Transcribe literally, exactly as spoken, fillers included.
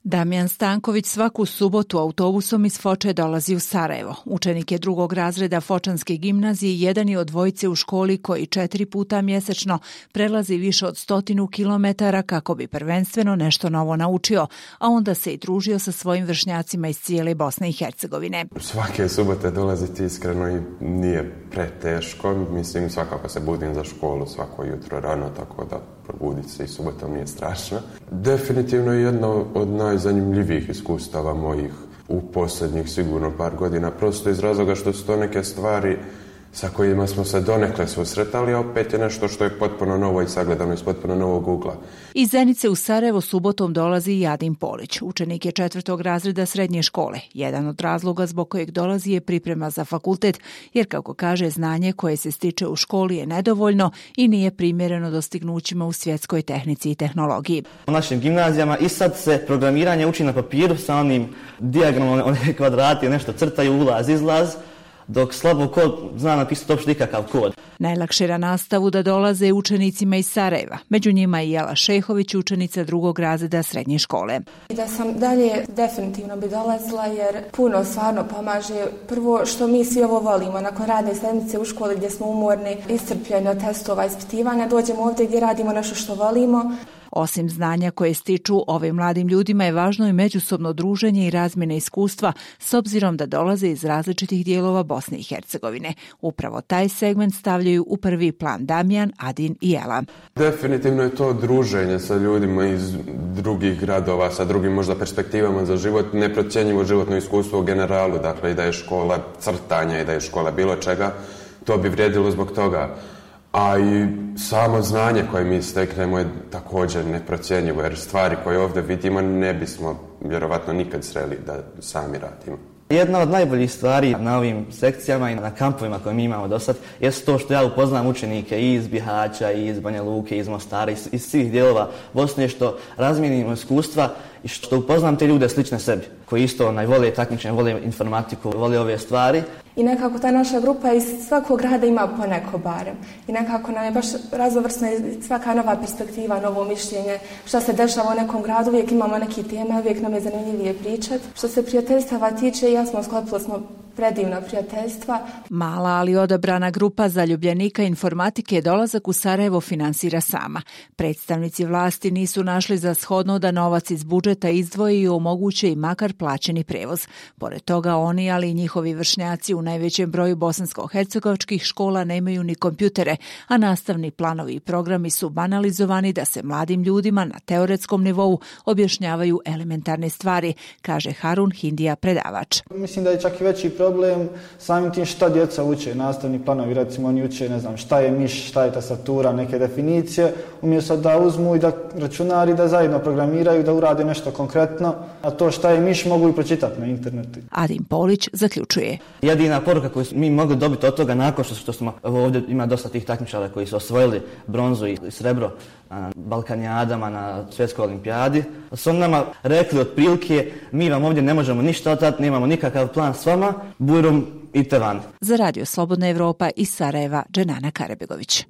Damjan Stanković svaku subotu autobusom iz Foče dolazi u Sarajevo. Učenik je drugog razreda Fočanske gimnazije, jedan je od dvojice u školi koji četiri puta mjesečno prelazi više od stotinu kilometara kako bi prvenstveno nešto novo naučio, a onda se i družio sa svojim vršnjacima iz cijele Bosne i Hercegovine. Svake subote dolaziti iskreno i nije preteško. Mislim, svakako se budim za školu svako jutro rano, tako da probuditi se i subotom nije strašno. Definitivno je jedno od najzanimljivijih iskustava mojih u posljednjih sigurno par godina, prosto iz razloga što su to neke stvari sa kojima smo se donekle susretali, a opet je nešto što je potpuno novo i sagledano iz potpuno novog ugla. Iz Zenice u Sarajevo subotom dolazi i Adin Polić, učenik je četvrtog razreda srednje škole. Jedan od razloga zbog kojeg dolazi je priprema za fakultet, jer kako kaže, znanje koje se stiče u školi je nedovoljno i nije primjereno dostignućima u svjetskoj tehnici i tehnologiji. U našim gimnazijama i sad se programiranje uči na papiru sa onim dijagramom, one kvadrati, nešto crtaju, ulaz, izlaz, dok slabo kod zna napisati uopšte nikakav kod. Najlakše na nastavu da dolaze učenicima iz Sarajeva. Među njima je Jela Šehović, učenica drugog razreda srednje škole. Da sam dalje definitivno bi dolazila jer puno stvarno pomaže. Prvo što mi svi ovo volimo, nakon radne sedmice u školi gdje smo umorni, iscrpljeni od testova, ispitivanja, dođemo ovdje gdje radimo nešto što volimo. Osim znanja koje stiču ovim mladim ljudima je važno i međusobno druženje i razmjena iskustva s obzirom da dolaze iz različitih dijelova Bosne i Hercegovine. Upravo taj segment stavljaju u prvi plan Damjan, Adin i Jela. Definitivno je to druženje sa ljudima iz drugih gradova, sa drugim možda perspektivama za život, neprocjenjivo životno iskustvo u generalu, dakle i da je škola crtanja i da je škola bilo čega, to bi vrijedilo zbog toga. A i samo znanje koje mi steknemo je također neprocjenjivo, jer stvari koje ovdje vidimo ne bismo vjerovatno nikad sreli da sami radimo. Jedna od najboljih stvari na ovim sekcijama i na kampovima koje mi imamo do sad je to što ja upoznam učenike i iz Bihaća, i iz Banja Luke, i iz Mostara, iz, iz svih dijelova Bosne, što razmijenimo iskustva i što upoznam te ljude slične sebi, koji isto onaj, vole takmičenje, vole informatiku, vole ove stvari. I nekako ta naša grupa iz svakog grada ima poneko barem. I nekako nam je baš raznovrsna svaka nova perspektiva, novo mišljenje. Šta se dešava u nekom gradu, uvijek imamo neki teme, uvijek nam je zanimljivije pričati. Što se prijateljstava tiče, ja smo sklopili smo predivna prijateljstva. Mala, ali odabrana grupa zaljubljenika informatike dolazak u Sarajevo finansira sama. Predstavnici vlasti nisu našli za shodno da novac iz budžeta izdvoji i omoguće i makar plaćeni prevoz. Pored toga oni, ali i njihovi vršnjaci u najvećem broju bosansko-hercegovačkih škola nemaju ni kompjutere, a nastavni planovi i programi su banalizovani da se mladim ljudima na teoretskom nivou objašnjavaju elementarne stvari, kaže Harun Hindija, predavač. Mislim da je čak i veći problem samim tim šta djeca uče, nastavni planovi, recimo oni uče, ne znam, šta je miš, šta je tastatura, neke definicije, umjesto da uzmu i da računari da zajedno programiraju, da urade nešto konkretno, a to šta je miš mogu i pročitati na internetu. Adin Polić zaključuje. Jedina poruka koju mi mogli dobiti od toga nakon što, što smo, ovdje ima dosta tih takmičara koji su osvojili bronzu i srebro na Balkanijadama, na svjetskoj olimpijadi, su nama rekli otprilike, mi vam ovdje ne možemo ništa otati, nemamo nikakav plan s vama, burom idite van. Za Radio Slobodna Evropa iz Sarajeva, Dženana Karabegović.